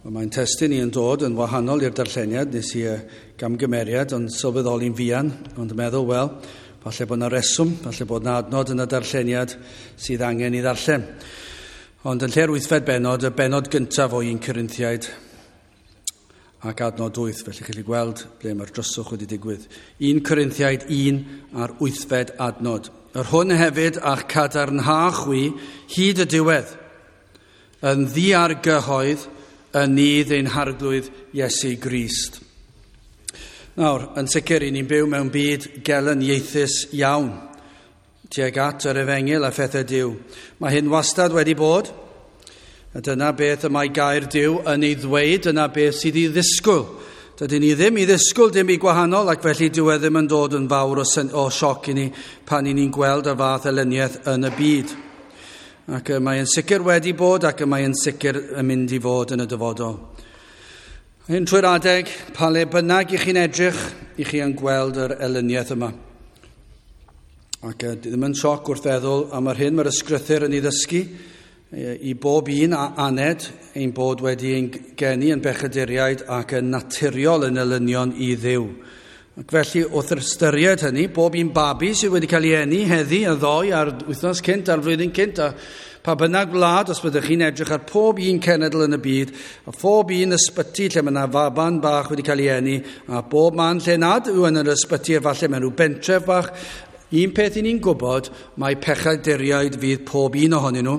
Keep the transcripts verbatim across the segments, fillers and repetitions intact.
Mae'n testun i yn dod yn wahanol i'r darlleniad, nes i gamgymeriad, ond sylweddoli'n fuan, ond meddwl, wel, falle bod yna reswm, falle bod yna adnod yn y darlleniad sydd angen i ddarllen. Ond yn lle'r wythfed bennod, y bennod gyntaf o un Corinthiaid ac adnod wyth, felly chi'n gallu gweld ble mae'r dryswch wedi digwydd. un Corinthiaid un a'r wythfed adnod. Yr hwn hefyd a'ch cadarnha chwi hyd y diwedd, yn ddiargyhoedd yn nydd ein harglwydd Iesu Grist. Nawr, yn sicr, i ni'n byw mewn byd gelyniaethus iawn tuag at yr efengyl a phethau Duw. Mae hyn wastad wedi bod, a dyna beth y mae gair Duw yn ei ddweud, dyna beth sydd i ddisgwyl. Dydyn ni ddim i ddisgwyl dim i gwahanol, ac felly dyw e ddim yn dod yn fawr o, o sioc i ni pan i ni'n gweld y fath elyniaeth yn y byd. Ac mae yn sicr wedi bod ac mae yn sicr yn mynd i fod yn y dyfodol. Hyn trwy'r adeg, pa le bynnag i chi'n edrych, i chi yn gweld yr elyniaeth yma. Ac ddim yn sioc wrth feddwl am yr hyn mae'r ysgrythur yn ei ddysgu i bob un a aned ein bod wedi ein geni yn bechaduriaid ac yn naturiol yn elynion i Dduw. Ac felly, wrth ystyried hynny, bob un babi sydd wedi cael ei eni heddi a ddoe a'r wythnos cynt a'r flwyddyn cynt a pa bynnag wlad, os byddwch chi'n edrych ar pob un cenedl yn y byd, a phob un ysbyty lle mae yna faban bach wedi cael ei eni, a bob man lle nad yw yn yr ysbyty, efallai mewn rhyw bentref bach, un peth i ni'n gwybod, mae pechaduriaid fydd pob un ohonyn nhw,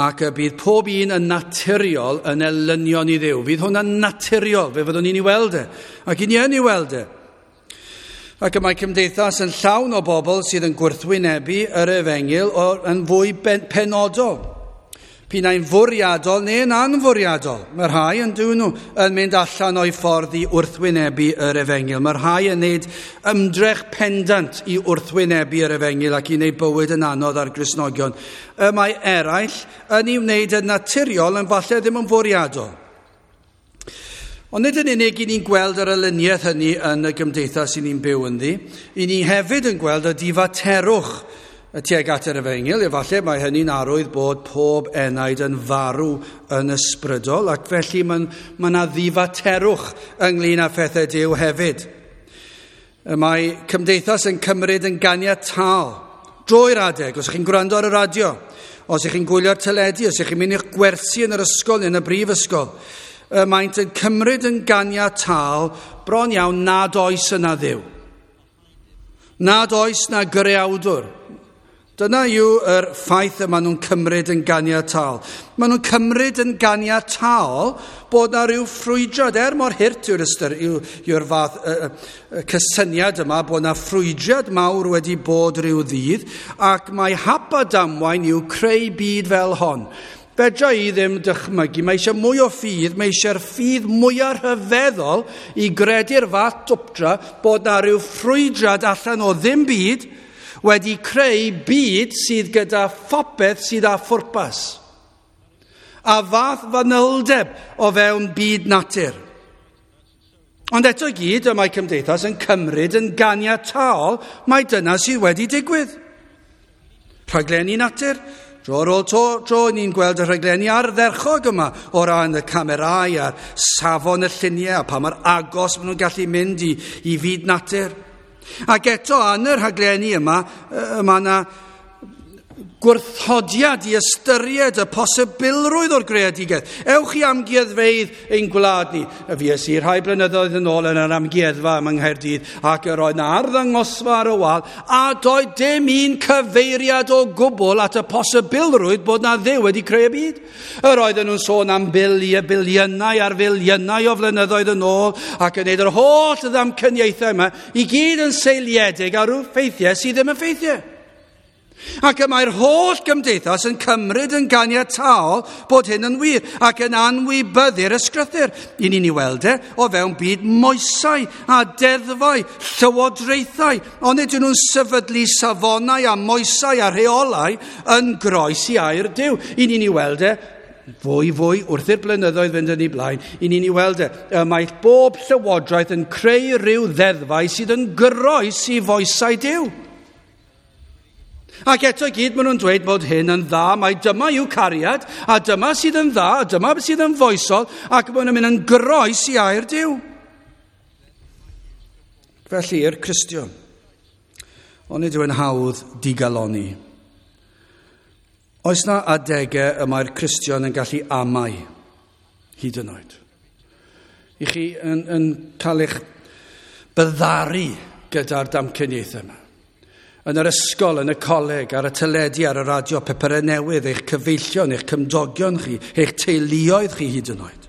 ac y bydd pob un yn naturiol yn elynion i Dduw. Fydd hwnna'n naturiol, fe fyddwn ni'n ei weld e, ac i ni yn ei weld e. Ac y mae cymdeithas yn llawn o bobl sydd yn gwrthwynebu yr efengyl yn fwy penodol. P'un ai'n fwriadol neu'n anfwriadol. Mae rhai yn dyn nhw yn mynd allan o'i ffordd i wrthwynebu yr efengyl. Mae rhai yn gwneud ymdrech pendant i wrthwynebu yr efengyl ac i wneud bywyd yn anodd ar Gristnogion. Y mae eraill yn ei wneud yn naturiol yn falle ddim yn fwriadol. Ond nid yn unig i ni'n gweld yr elyniaeth hynny yn y gymdeithas i ni'n byw ynddi, i ni hefyd yn gweld y difaterwch y tuag at yr efengyl. Efallai mae hynny'n arwydd bod pob enaid yn farw yn ysbrydol, ac felly mae yna ddifaterwch ynglyn â phethau Duw hefyd. Mae cymdeithas yn cymryd yn ganiataol drwy'r adeg, os ych chi'n gwrando ar y radio, os ych chi'n gwylio'r teledu, os ych chi'n mynd i'ch gwersi yn yr ysgol neu yn y brifysgol, maent yn cymryd yn ganiataol bron iawn nad oes yna Dduw. Nad oes na greawdwr. Dyna yw yr ffaith y maen nhw'n cymryd yn ganiataol. Maen nhw'n cymryd yn ganiataol bod na rhyw ffrwydrad, er mor hurt yw'r ystyr, yw, yw'r fath y, y, y cysyniad yma, bod na ffrwydrad mawr wedi bod rhyw ddydd, ac mae hap a damwain yw creu byd fel hon. Fedra i ddim dychmygu, mae eisiau mwy o ffydd, mae eisiau'r ffydd mwyaf rhyfeddol i gredu'r fath dwpdra bod na rhyw ffrwydrad allan o ddim byd wedi creu byd sydd gyda phopeth sydd â phwrpas. A fath fanyldeb o fewn byd natur. Ond eto i gyd, y mae cymdeithas yn cymryd yn ganiataol mai dyna sydd wedi digwydd. Rhaglenni natur. Dro ar ôl to, tro, ni'n gweld y rhaglenni ardderchog yma o ran y camerau a'r safon y lluniau a pa mor agos maen nhw'n gallu mynd i, i fyd natur. Ac eto, yn y rhaglenni yma, mae yna gwrthodiad i ystyried y posibilrwydd o'r greadigaeth. Ewch i amgueddfeydd ein gwlad ni. Fues i rhai blynyddoedd yn ôl yn yr amgueddfa yma yng Nghaerdydd, ac yr oedd 'na arddangosfa ar y wal, a doedd dim un cyfeiriad o gwbl at y posibilrwydd bod na Dduw wedi creu y byd. Yr oedden nhw'n sôn am biliau, biliynau ar filiynau o flynyddoedd yn ôl, ac yn neud yr holl ddamcaniaethau yma, i gyd yn seiliedig ar rhyw ffeithiau sydd ddim yn ffeithiau. Ac y mae'r holl gymdeithas yn cymryd yn ganiataol bod hyn yn wir ac yn anwybyddu'r ysgrythur. I ni'n ei weld e o fewn byd moesau a deddfau, llywodraethau, ond ydyn nhw'n sefydlu safonau a moesau a rheolau yn groes i air Duw. I ni'n ei weld e fwy fwy wrth i'r blynyddoedd fynd yn ei blaen, i ni'n ei weld e, mae bob llywodraeth yn creu rhyw ddeddfau sydd yn groes i foesau Duw. Ac eto i gyd maen nhw'n dweud bod hyn yn dda, mai dyma yw cariad, a dyma sydd yn dda, a dyma sydd yn foesol, ac maen nhw'n mynd yn groes i air Duw. Felly i'r Cristion, onid yw'n hawdd digalonni? Oes na adegau y mae'r Cristion yn gallu amau hyd yn oed? I chi yn, yn cael eich byddaru gyda'r damcaniaethau yma. Yn yr ysgol, yn y coleg, ar y teledu, ar y radio, papurau newydd, eich cyfeillion, eich cymdogion chi, eich teuluoedd chi hyd yn oed.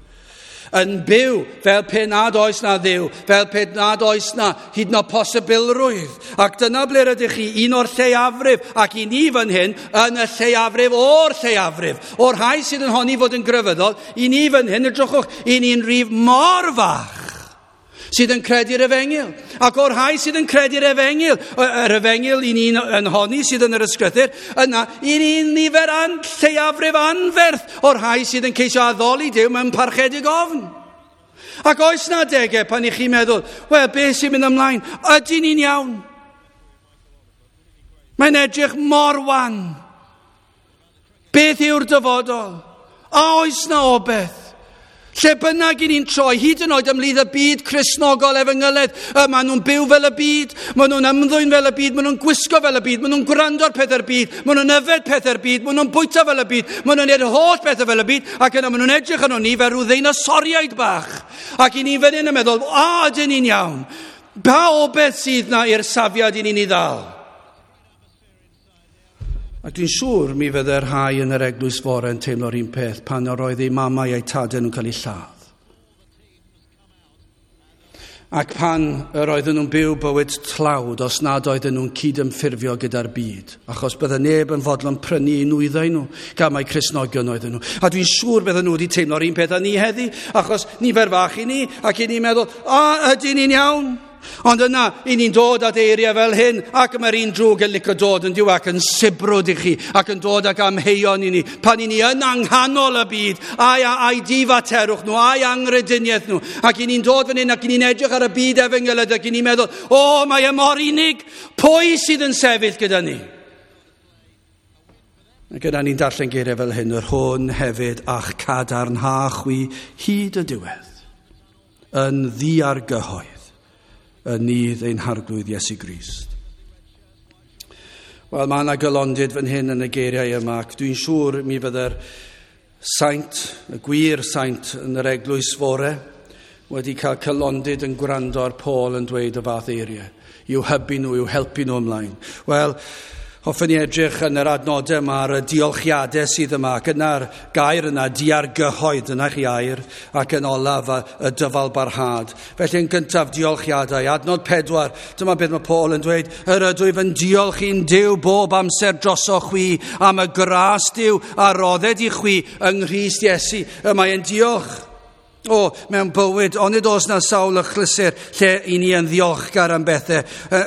Yn byw fel pe nad oes na Dduw, fel pe nad oes na hyd yn oed posibilrwydd. Ac dyna ble rydych chi, un o'r lleiafrif, ac i ni fan hyn, yn y lleiafrif o'r lleiafrif. O'r rhai sydd yn honni fod yn grefyddol, i ni fan hyn, edrychwch, i ni'n rif mor fach sydd yn credu'r efengyl. Ac o'r rhai sydd yn credu'r efengyl, yr efengyl i ni'n yn honni sydd yn yr ysgrythur, yna i ni'n nifer an, lleiafrif anferth o'r rhai sydd yn ceisio addoli Duw mewn parchedig ofn. Ac oes na adegau pan i chi'n meddwl, wel, beth sy'n mynd ymlaen? Ydy ni'n iawn? Mae'n edrych mor wan. Beth yw'r dyfodol? A oes na obeth? Lle bynnag i ni'n troi, hyd yn oed ymhlith y byd Cristnogol efengylaidd, maen nhw'n byw fel y byd, maen nhw'n ymddwyn fel y byd, maen nhw'n gwisgo fel y byd, maen nhw'n gwrando ar pethau'r byd, maen nhw'n yfed pethau'r byd, maen nhw'n bwyta fel y byd, maen nhw'n gwneud holl pethau fel y byd, ac yna maen nhw'n edrych arno ni fel rhyw ddeinosoriaid bach. Ac i ni fan hyn yn meddwl, a ydyn ni'n iawn? Pa obeth sydd na i'r safiad i ni'n ei ddal? Ac dwi'n siŵr mi fydde'r rhai yn yr eglwys fore yn teimlo'r un peth pan yr oedd eu mamau a'u tadau nhw'n cael eu lladd. Ac pan yr oedden nhw'n byw bywyd tlawd os nad oedden nhw'n cydymffurfio gyda'r byd, achos bydde neb yn fodlon prynu eu nwyddau nhw, gan mai Cristnogion oedden nhw. A dwi'n siŵr bydden nhw wedi teimlo'r un peth â ni heddi, achos nifer fach i ni, ac i ni'n meddwl, a ydyn ni'n iawn? Ond yna, i ni'n dod at eiriau fel hyn, ac mae'r un drwg yn licio dod yn diw ac yn sibrwd i chi, ac yn dod ac amheuon i ni. Pan i ni yn anghanol y byd, ai, ai difaterwch nhw, ai anghrediniaeth nhw. Ac i ni'n dod fan hyn, ac i ni'n edrych ar y byd efengylaidd, ac i ni'n meddwl, o, mae e mor unig, pwy sydd yn sefyll gyda ni? Ac yna ni'n darllen geiriau fel hyn, yr hwn hefyd a'ch cadarnha chwi hyd y diwedd, yn ddiargyhoedd, yn nydd ein Harglwydd Iesu Grist. Wel, mae yna gylondid fan hyn yn y geiriau yma, ac dwi'n siŵr mi fydde'r saint, y gwir saint yn yr eglwys fore, wedi cael cylondid yn gwrando ar Paul yn dweud y fath eiriau, i'w hybu nhw, i'w helpu nhw ymlaen. Wel, hoffwn i edrych yn yr adnodau yma ar y diolchiadau sydd yma, ac yna'r gair yna, diargyhoedd, yna chi air, ac yn olaf y dyfal barhad. Felly yn gyntaf, diolchiadau. Adnod pedwar, dyma beth mae Paul yn dweud, yr ydwyf yn diolch i'n Duw bob amser drosoch chwi am y gras Duw a rodded i chwi yng Nghrist Iesu. Y mae yn diolch. O, mewn bywyd, onid oes na sawl achlysur lle i ni yn ddiolchgar am bethau,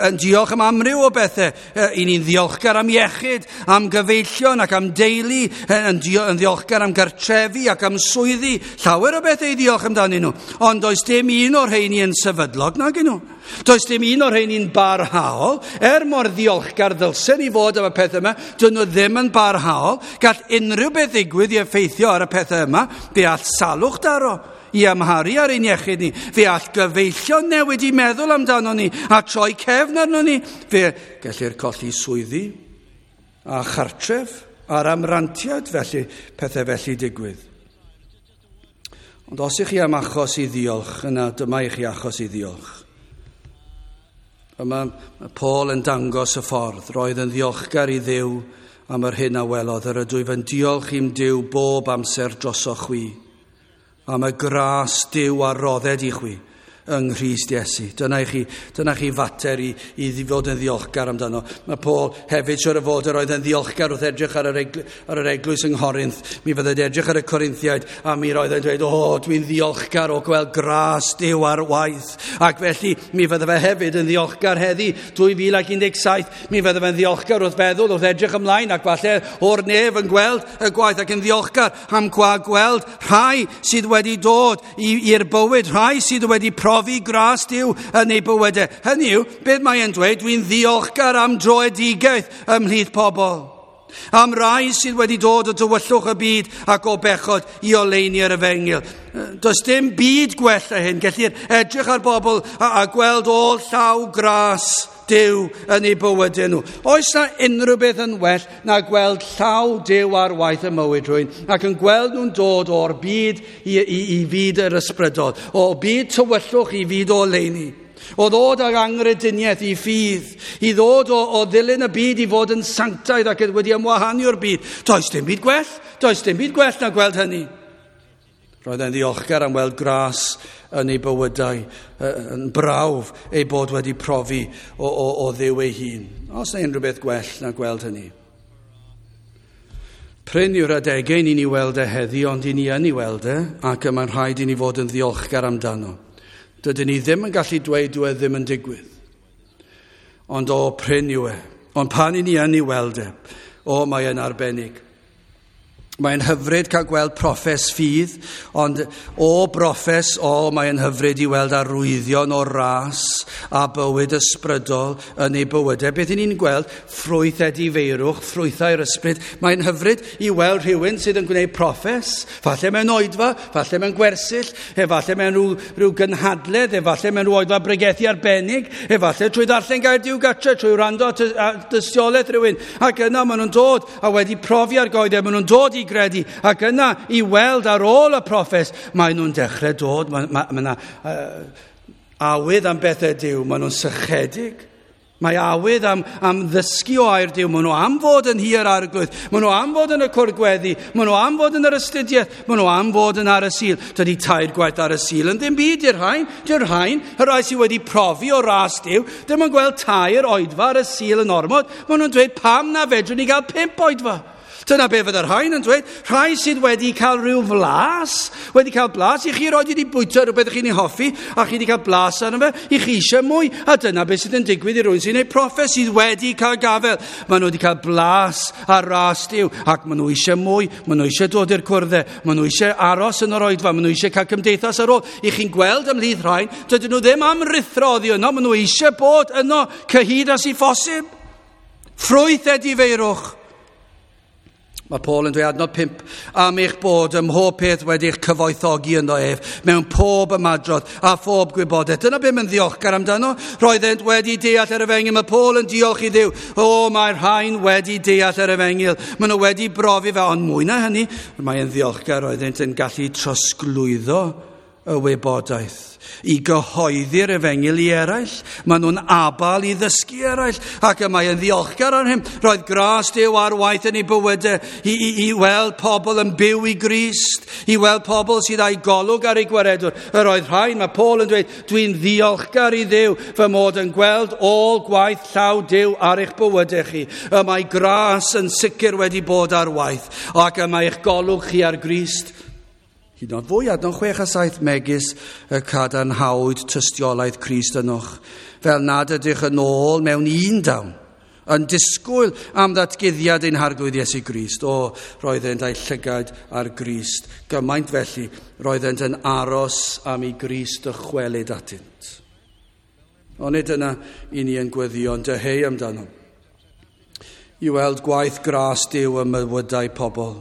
yn diolch am amryw o bethau, i ni'n ddiolchgar am iechyd, am gyfeillion ac am deulu, yn ddiolchgar am gartrefi ac am swyddi, llawer o bethau i ddiolch amdanyn nhw. Ond does dim un o'r rheini yn sefydlog nag nhw. Does dim un o'r rheini'n barhaol, er mor ddiolchgar ddylsen i fod am y pethau yma, dyn nhw ddim yn barhaol. Gall unrhyw beth ddigwydd i effeithio ar y pethau yma, fe all salwch daro i amharu ar ein iechyd ni, fe all gyfeillion newid i meddwl amdano ni a troi cefn arno ni, fe gellir colli swyddi a chartref a'r amrantiad, felly pethau felly digwydd. Ond os ych chi am achos i ddiolch, yna dyma i chi achos i ddiolch. Yma mae Paul yn dangos y ffordd, roedd yn ddiolchgar i Dduw am yr hyn a welodd, yr ydwyf yn diolch i'm Duw bob amser drosoch chwi, am y gras Duw a rodded i chwi yng Nghrist Iesu. Dyna i chi, dyna chi fater i, i fod yn ddiolchgar amdano. Mae Paul hefyd siwr o fod yr oedd yn ddiolchgar wrth edrych ar yr, egl, ar yr eglwys yng Nghorinth. Mi fyddai'n edrych ar y Corinthiaid a mi roedd yn dweud, o, dwi'n ddiolchgar o gweld gras Duw ar waith. Ac felly mi fydde fe hefyd yn ddiolchgar heddi, dwy fil ac un deg saith. Mi fydde fe'n ddiolchgar wrth feddwl, wrth edrych ymlaen ac falle o'r nef yn gweld y gwaith ac yn ddiolchgar am gweld rhai sydd wedi dod i'r bywyd, rhai sydd wedi profi profi gras Duw yn eu bywydau. Hynny yw, beth mae'n dweud, dwi'n ddiolchgar am droedigaeth ymhlith pobl. Am rai sydd wedi dod o dywyllwch y byd ac o bechod i oleuni yr efengyl. Does dim byd gwell na hyn. Gellir edrych ar bobl a, a gweld ôl llaw gras Duw yn eu bywydau nhw. Oes na unrhyw beth yn well na gweld llaw Duw ar waith y mywyd rhywun ac yn gweld nhw'n dod o'r byd i, i, i fyd yr ysbrydol, o byd tywyllwch i fyd o oleuni. O ddod ag angrediniaeth i ffydd, i ddod o, o ddilyn y byd i fod yn sanctaidd ac wedi ymwahanu o'r byd. Does dim byd gwell, does dim byd gwell na gweld hynny. Roedd e'n ddiolchgar am weld gras yn ei bywydau, yn brawf ei bod wedi profi o, o, o Dduw ei hun. Oes na unrhyw beth gwell na gweld hynny? Prin yw'r adegau ni'n ei weld e heddi, ond i ni yn ei weld e, ac y mae'n rhaid i ni fod yn ddiolchgar amdano. Dydyn ni ddim yn gallu dweud dyw e ddim yn digwydd. Ond o, prin yw e. Ond pan i ni yn ei weld e, o, mae e'n arbennig. Mae'n hyfryd cael gweld proffes ffydd, ond o broffes, o, mae'n hyfryd i weld arwyddion o ras a bywyd ysbrydol yn ei bywydau. Beth i ni'n gweld? Ffrwyth edifeirwch, ffrwythau'r ysbryd. Mae'n hyfryd i weld rhywun sydd yn gwneud proffes, falle mewn oedfa, falle mewn gwersyll, efallai mewn rhyw, rhyw gynhadledd, efallai mewn rhyw oedfa bregethu arbennig, efallai trwy ddarllen gair Duw gatre, trwy wrando at dystiolaeth rhywun. Ac yna maen nhw'n dod a wedi profi argoeddi, maen nhw'n dod i gredu, ac yna i weld ar ôl y proffes, maen nhw'n dechrau dod, mae ma, ma yna uh, awydd am bethau Duw, maen nhw'n sychedig. Mae awydd am, am ddysgu o air Duw, maen nhw am fod yn nhŷ'r Arglwydd, maen nhw am fod yn y cwrdd gweddi, maen nhw am fod yn yr astudiaeth, maen nhw am fod yn ar y Sul. Dydy tair gwaith ar y Sul yn ddim byd i'r rhain, di'r rhain, y rhai sydd wedi profi o ras Duw, ddim yn gweld tair oedfa ar y Sul yn ormod, maen nhw'n dweud pam na fedrwn ni gael pump oedfa. Dyna be fydde'r rhain yn dweud, rhai sydd wedi cael rhyw flas, wedi cael blas, i chi roed wedi bwyta rhywbeth chi'n ei hoffi, a chi wedi cael blas arno fe, i chi eisiau mwy, a dyna beth sydd yn digwydd i rhywun sy'n ei proffes sydd wedi cael gafel. Maen nhw wedi cael blas ar ras Duw, ac maen nhw eisiau mwy, maen nhw eisiau dod i'r cwrddau, maen nhw eisiau aros yn yr oedfa, maen nhw eisiau cael cymdeithas ar ôl. I chi'n gweld ymhlith rhain, dydyn nhw ddim am ruthro oddi yno, maen nhw eisiau bod yno cyhyd â sy'n phosib. Ffrwyth edifeirwch. Mae Paul yn dweud adnod pump, am eich bod ym mhob peth wedi'ch cyfoethogi ynddo ef, mewn pob ymadrodd a phob gwybodaeth. Dyna beth mae'n ddiolchgar amdano. Roeddent wedi deall yr efengyl. Mae Paul yn diolch i Dduw. O, mae'r rhain wedi deall yr efengyl. Maen nhw wedi brofi fe, ond mwy na hynny, mae'n ddiolchgar roeddent yn gallu trosglwyddo y wybodaeth i gyhoeddi'r efengyl i eraill. Maen nhw'n abal i ddysgu eraill, ac y mae yn ddiolchgar ar hyn. Roedd gras Duw ar waith yn ei bywydau i, i, i weld pobl yn byw i Grist, i weld pobl sydd â'i golwg ar ei gwaredwr. Yr oedd rhain, mae Paul yn dweud, dwi'n ddiolchgar i Dduw fy mod yn gweld ôl gwaith llaw Duw ar eich bywydau chi. Y mae gras yn sicr wedi bod ar waith, ac y mae eich golwg chi ar Grist. Hyd yn oed fwy, adnod chwech a saith, megis y cadarnhawyd tystiolaeth Crist ynoch, fel nad ydych yn ôl mewn un dawn, yn disgwyl am ddatguddiad ein Harglwydd Iesu Grist. O, roeddent a'u llygaid ar Grist. Gymaint felly, roeddent yn aros am i Grist dychwelyd atynt. Onid yna i ni yn gweddïo, yn dyheu amdano, i weld gwaith gras Duw ym mywydau pobl.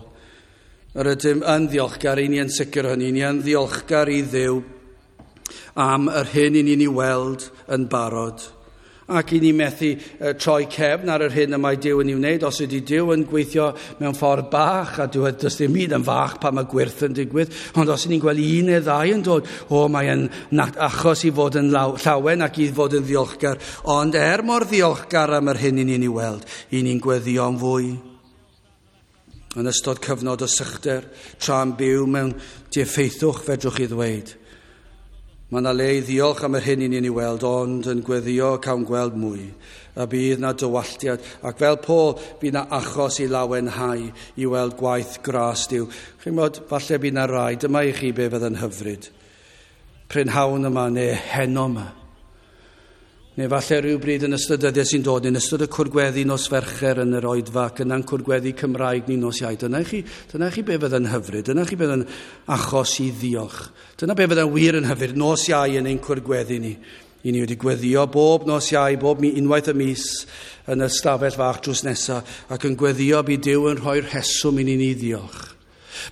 Yr ydym yn ddiolchgar, i ni yn sicr hynny, ni yn ddiolchgar i Dduw am yr hyn i ni'n ei weld yn barod. Ac i ni methu troi cefn ar yr hyn y mae Duw yn ei wneud. Os ydy Duw yn gweithio mewn ffordd bach, a dyw e does dim byd yn fach pan mae gwyrth yn digwydd, ond os ni'n gweld un neu ddau yn dod, o, mae e'n achos i fod yn llawen ac i fod yn ddiolchgar. Ond er mor ddiolchgar am yr hyn i ni'n ei weld, i ni'n gweddïo am fwy. Yn ystod cyfnod o sychder, tra'n byw mewn diffeithwch, fedrwch chi ddweud. Mae yna le i ddiolch am yr hyn i ni'n ei weld, ond yn gweddïo cawn gweld mwy. A bydd na dywalltiad, ac fel Paul, bydd na achos i lawenhau i weld gwaith gras Duw. Chi'n gwybod, falle bydd na rai, dyma i chi be fydd yn hyfryd. Prynhawn yma neu heno yma. Neu falle rhywbryd yn ystod dyddiau sy'n dod, yn ystod y cwrgweddi nos Fercher yn yr oedfa, ac yna'n cwrgweddi Cymraeg ni nos Iau. Dyna chi, dyna chi be fydd yn hyfryd, dyna chi bydd yn achos i ddiolch. Dyna be fydd yn wir yn hyfryd, nos Iau yn ein cwrgweddi ni. I ni wedi gweddio bob nos Iau, bob mi, unwaith y mis yn y stafell fach drws nesaf, ac yn gweddio bydd Duw yn rhoi'r rheswm i ni ni ddiolch.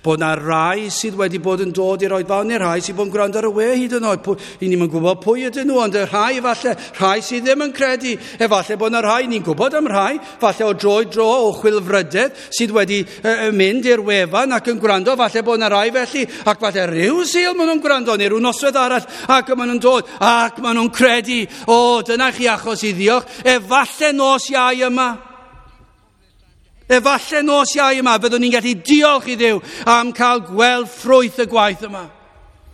Bod na rai sydd wedi bod yn dod i'r oedfa, neu rhai sydd bod yn gwrando ar y we hyd yn oed. I ni'n gwybod pwy ydyn nhw, ond y rhai falle, rhai sydd ddim yn credu. Efallai bod na rhai, ni'n gwybod am rhai, falle o dro i dro o chwilfrydedd sydd wedi uh, mynd i'r wefan ac yn gwrando, falle bod na rai felly, ac falle rhyw Sul maen nhw'n gwrando, neu rhyw noswaith arall, ac maen nhw'n dod, ac maen nhw'n credu. O, dyna chi achos i ddiolch. Efallai nos Iau yma. Efallai nos Iau yma fyddwn ni'n gallu diolch i Dduw am cael gweld ffrwyth y gwaith yma.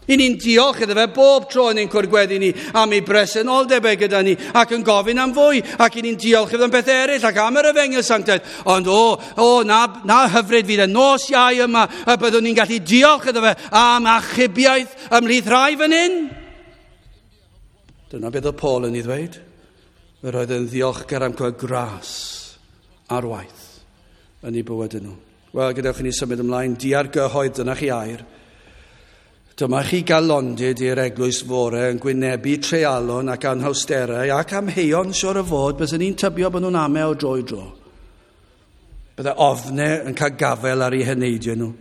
I ni'n diolch iddo fe bob tro yn ein cwrgweddi ni am ei bresenoldeb e gyda ni ac yn gofyn am fwy, ac i ni'n diolch iddo am beth eraill ac am yr efengyl sanctaidd. Ond o, o, na, na hyfryd fydd y nos Iau yma y byddwn ni'n gallu diolch iddo fe am achubiaeth ymhlith rhai fan hyn. Dyna beth oedd Paul yn ei ddweud. Yr oedd yn ddiolchgar am cael gras ar waith yn ei bywyd nhw. Wel, gadewch i ni symud ymlaen. Diargyhoedd, dyna chi air. Dyma chi galondid i'r eglwys fore yn gwynebu treialon ac anhawsterau ac amheuon siwr o fod, byswn ni'n tybio bod nhw'n ame o dro i dro. Bydde ofnau yn cael gafel ar eu heneidiau nhw.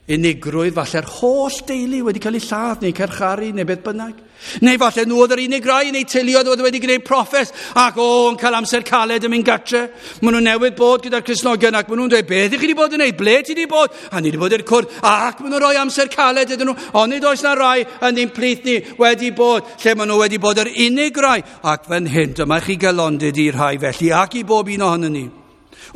Unigrwydd, falle'r holl deulu wedi cael eu lladd neu carcharu neu beth bynnag. Neu falle nhw oedd yr unig rai neu teuluoedd oedd wedi gwneud proffes ac o, yn cael amser caled yn mynd gatre. Maen nhw newydd bod gyda'r Cristnogion ac maen nhw'n dweud, beth i chi wedi bod yn neud? Ble ti wedi bod? A ni wedi bod i'r cwrdd ac maen nhw'n rhoi amser caled iddyn nhw. Ond nid oes na rai yn ein plith ni wedi bod lle maen nhw wedi bod yr unig rai. Ac fan hyn, dyma chi galondid i'r rhai felly ac i bob un ohonyn ni.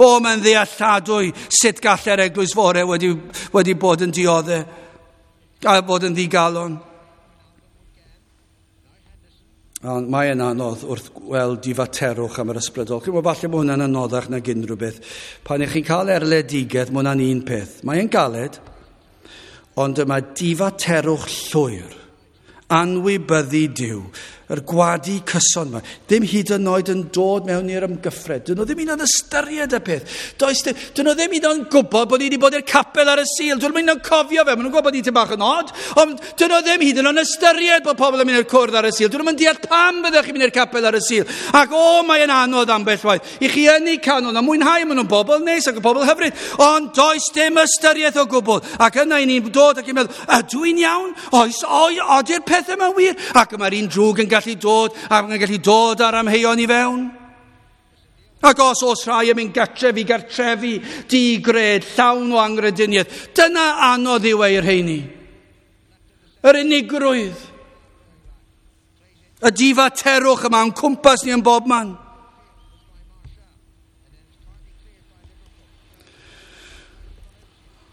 O, mae'n ddealladwy sut gallai'r eglwys fore wedi, wedi bod yn dioddef a bod yn ddigalon. Ond mae'n anodd wrth gweld difaterwch am yr ysbrydol. Chi'n gwybod, falle bod hwnna'n anoddach nag unrhyw beth. Pan ych chi'n cael erledigaeth, mae hwnna'n un peth. Mae'n galed, ond yma difaterwch llwyr, anwybyddu Duw, yr gwadu cyson yma, ddim hyd yn oed yn dod mewn i'r ymgyffred. Dyn nhw ddim hyd yn ystyried y peth. Does dyn, dyn nhw ddim hyd yn gwybod bod ni wedi bod i'r capel ar y Sul. Dyn nhw'n mynd yn cofio fe. Maen nhw'n gwybod bod ni tipyn bach yn od. Ond dyn nhw ddim hyd yn oed ystyried bod pobl yn mynd i'r cwrdd ar y Sul. Dyn nhw'n deall pam byddech chi'n mynd i'r capel ar y Sul. Ac o, mae'n anodd ambell waith. I chi yn eu canol a mwynhau, maen nhw'n bobl neis ac yn bobl hyfryd. Ond does dim ystyriaeth o gwbl. Ac yna i ni'n dod ac i'n meddwl, ydw i'n iawn? Oes, oi, ody'r pethau yma'n wir? Ac mae'r un drwg yn gallu dod, ac yn gallu dod ar amheuon i fewn. Ac os oes rhai yn mynd gartref i gartrefi, digred, llawn o angrediniaeth, dyna anodd yw e'r rheini. Yr unigrwydd, y difaterwch yma yn cwmpas ni yn bob man.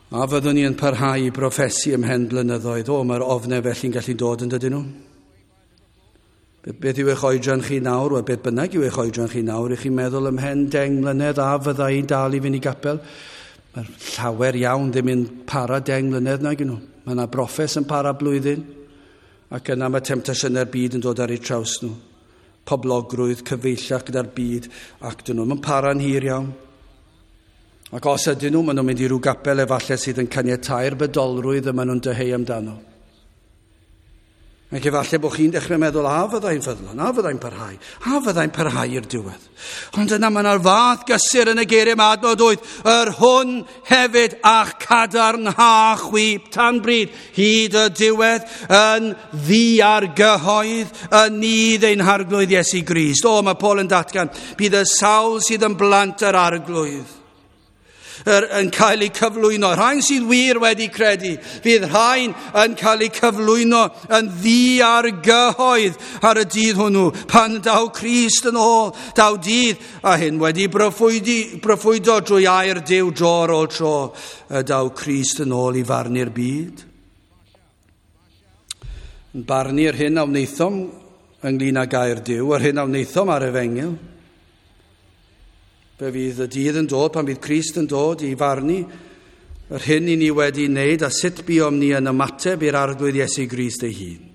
A fyddwn ni yn parhau i broffesu ymhen blynyddoedd. O, mae'r ofnau felly'n gallu dod yn dydyn nhw. Beth yw eich oedran chi nawr? Wel, beth bynnag yw eich oedran chi nawr? Ych chi'n meddwl ymhen deng mlynedd a fydda i'n dal i fynd i gapel? Mae'r llawer iawn ddim yn para deng mlynedd nag nhw. Mae yna broffes yn para blwyddyn, ac yna mae temtasiynau'r byd yn dod ar eu traws nhw. Poblogrwydd, cyfeillach gyda'r byd, ac dyn nhw. Mae'n para'n hir iawn. Ac os ydyn nhw, maen nhw'n mynd i ryw gapel efallai sydd yn caniatau'r bydolrwydd y maen nhw'n dyheu amdano. Ac efallai bod chi'n dechrau meddwl, a fyddai'n ffyddlon, a fyddai'n parhau, a fyddai'n parhau i'r diwedd. Ond yna mae yna'r fath gysur yn y geiriau yma, adnod wyth, yr hwn hefyd a'ch cadarnha chwi tan bryd, hyd y diwedd, yn ddiargyhoedd, yn nydd ein harglwydd Iesu Grist. O, mae Paul yn datgan, bydd y sawl sydd yn blant yr arglwydd Er, yn cael eu cyflwyno. Rhain sydd wir wedi credu, fydd rhain yn cael eu cyflwyno yn ddiargyhoedd ar y dydd hwnnw. Pan daw Crist yn ôl, daw dydd, a hyn wedi broffwydi, broffwydo drwy air Duw dro ar ôl tro, y daw Crist yn ôl i farnu'r byd. Yn barnu'r hyn a wnaethom ynglyn â gair Duw, yr hyn a wnaethom ar efengyl. Fe fydd y dydd yn dod pan fydd Crist yn dod i farnu yr hyn i ni wedi wneud a sut buom ni yn ymateb i'r arglwydd Iesu Grist ei hun.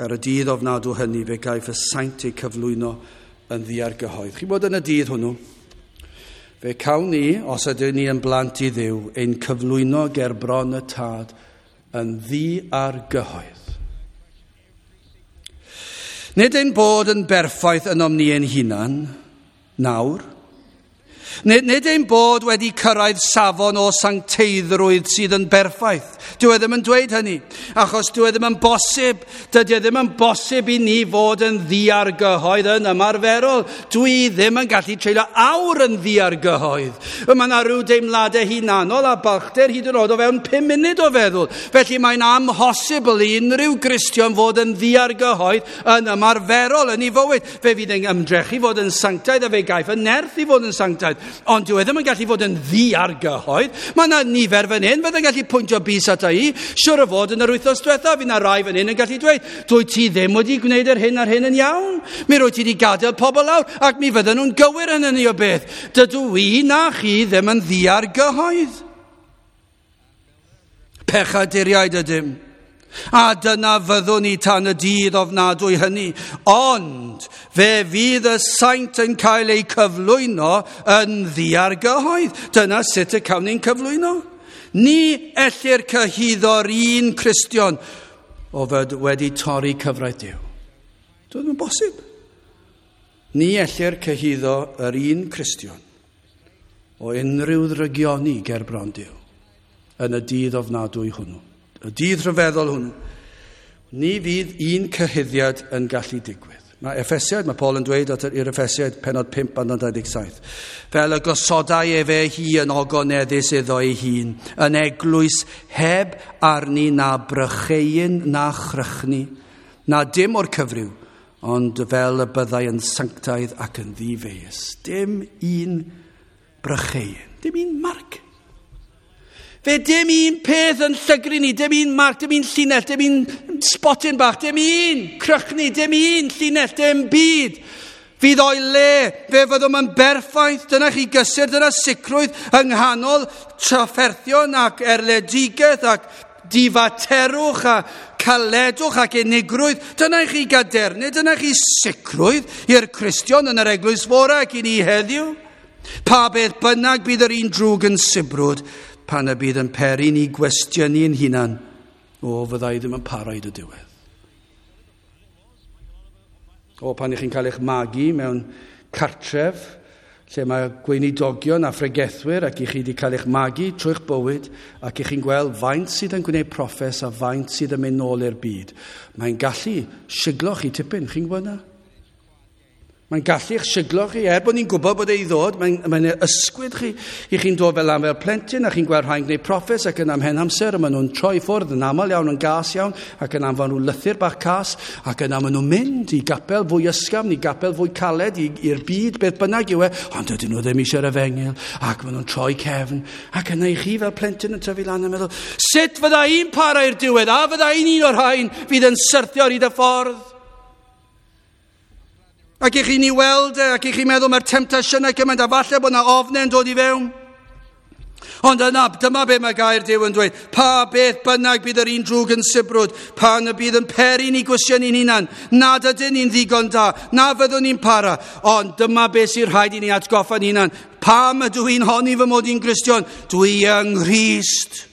Ar y dydd ofnadw hynny fe gaiff y saint eu cyflwyno yn ddiargyhoedd. Chi'n bod yn y dydd hwnnw, fe cawn ni, os ydyn ni yn blant i Dduw, ein cyflwyno ger bron y Tad yn ddiargyhoedd. Nid ein bod yn berffaith ynom ni ein hunan, nawr. Nid, nid ein bod wedi cyrraedd safon o sancteiddrwydd sydd yn berffaith. Dyw e ddim yn dweud hynny, achos dyw e ddim yn bosib. Dydy e ddim yn bosib i ni fod yn ddiargyhoedd yn ymarferol. Dwi ddim yn gallu treulio awr yn ddiargyhoedd. Mae yna rhyw deimladau hunanol a balchder hyd yn oed o fewn pum munud o feddwl. Felly mae'n amhosibl i unrhyw Gristion fod yn ddiargyhoedd yn ymarferol yn ei fywyd. Fe fydd yn ymdrechu fod yn sanctaidd a fe gaiff y nerth i fod yn sanctaidd. Ond dyw e ddim yn gallu fod yn ddiargyhoedd. Mae yna nifer fan hyn fydd yn gallu pwyntio bys ata i. Siwr o fod yn yr wythnos diwethaf, fydd yna rai fan hyn yn gallu dweud, dwyt ti ddim wedi gwneud yr hyn a'r hyn yn iawn. Mi rwyt ti wedi gadael pobl lawr, ac mi fydden nhw'n gywir yn hynny o beth. Dydw i na chi ddim yn ddiargyhoedd. Pechaduriaid ydym. A dyna fyddwn ni tan y dydd ofnadwy hynny. Ond fe fydd y saint yn cael eu cyflwyno yn ddiargyhoedd. Dyna sut y cawn ni'n cyflwyno. Ni ellir cyhuddo'r un Cristion o fod wedi torri cyfraith Duw. Dyw e ddim yn bosib. Ni ellir cyhuddo yr un Cristion o unrhyw ddrygioni ger bron Duw yn y dydd ofnadwy hwnnw. Y dydd rhyfeddol hwnnw, ni fydd un cyhuddiad yn gallu digwydd. Mae Effesiaid, mae Paul yn dweud at i'r Effesiaid pennod pump adnod dau ddeg saith. Fel y gosodai efe hi yn ogoneddus iddo ei hun, yn eglwys heb arni na brycheuyn na chrychni, na dim o'r cyfryw, ond fel y byddai yn sanctaidd ac yn ddifeius. Dim un brycheuyn, dim un marc. Fe dim un peth yn llygru ni, dim un marc, dim un llinell, dim un spotyn bach, dim un crychni, dim un llinell, dim byd. Fydd o'i le, fe fyddwn yn berffaith, dyna chi gysur, dyna sicrwydd yng nghanol trafferthion ac erledigaeth ac difaterwch a caledwch ac unigrwydd. Dyna chi gadernid, dyna chi sicrwydd i'r Cristion yn yr eglwys fore ac i ni heddiw. Pa beth bynnag bydd yr un drwg yn sibrwd, pan y bydd yn peri ni gwestiynu'n hunan, o, fyddai ddim yn para hyd y diwedd. O, pan ych chi'n cael eich magu mewn cartref, lle mae gweinidogion a phregethwyr ac i chi wedi cael eich magu trwy'ch bywyd, ac i chi'n gweld faint sydd yn gwneud proffes a faint sydd yn mynd nôl i'r byd, mae'n gallu siglo chi tipyn, chi'n gwybod na? Mae'n gallu eich siglo chi, er bod ni'n gwybod bod ei ddod, mae'n mae ysgwyd chi. I chi'n dod fel am fel plentyn, a chi'n gweld rhai'n gwneud proffes ac yn amhen amser, a maen nhw'n troi ffwrdd yn aml iawn, yn gas iawn, ac yn anfon nhw lythyr bach cas, ac yna maen nhw'n mynd i gapel fwy ysgafn, i gapel fwy caled, i'r byd, beth bynnag yw e, ond dydyn nhw ddim eisiau'r efengyl, ac maen nhw'n troi cefn, ac yna i chi fel plentyn yn tyfu lan yn meddwl, sut fydda i'n para i'r diwedd, a fydda i'n un o'r rhain fydd yn syrthio ar hyd y ffordd? Ac i chi'n ei weld e, ac i chi'n meddwl mae'r temtasiynau gymaint, a falle bod yna ofnau yn dod i fewn. Ond yna, dyma be mae gair Duw yn dweud. Pa beth bynnag bydd yr un drwg yn sibrwd, pan y bydd yn peri ni gwestiynu'n hunan, nad ydyn ni'n ddigon da, na fyddwn ni'n para. Ond dyma be sy'n rhaid i ni atgoffa'n hunan. Pam ydw i'n honni fy mod i'n Gristion? Dwi yng Nghrist.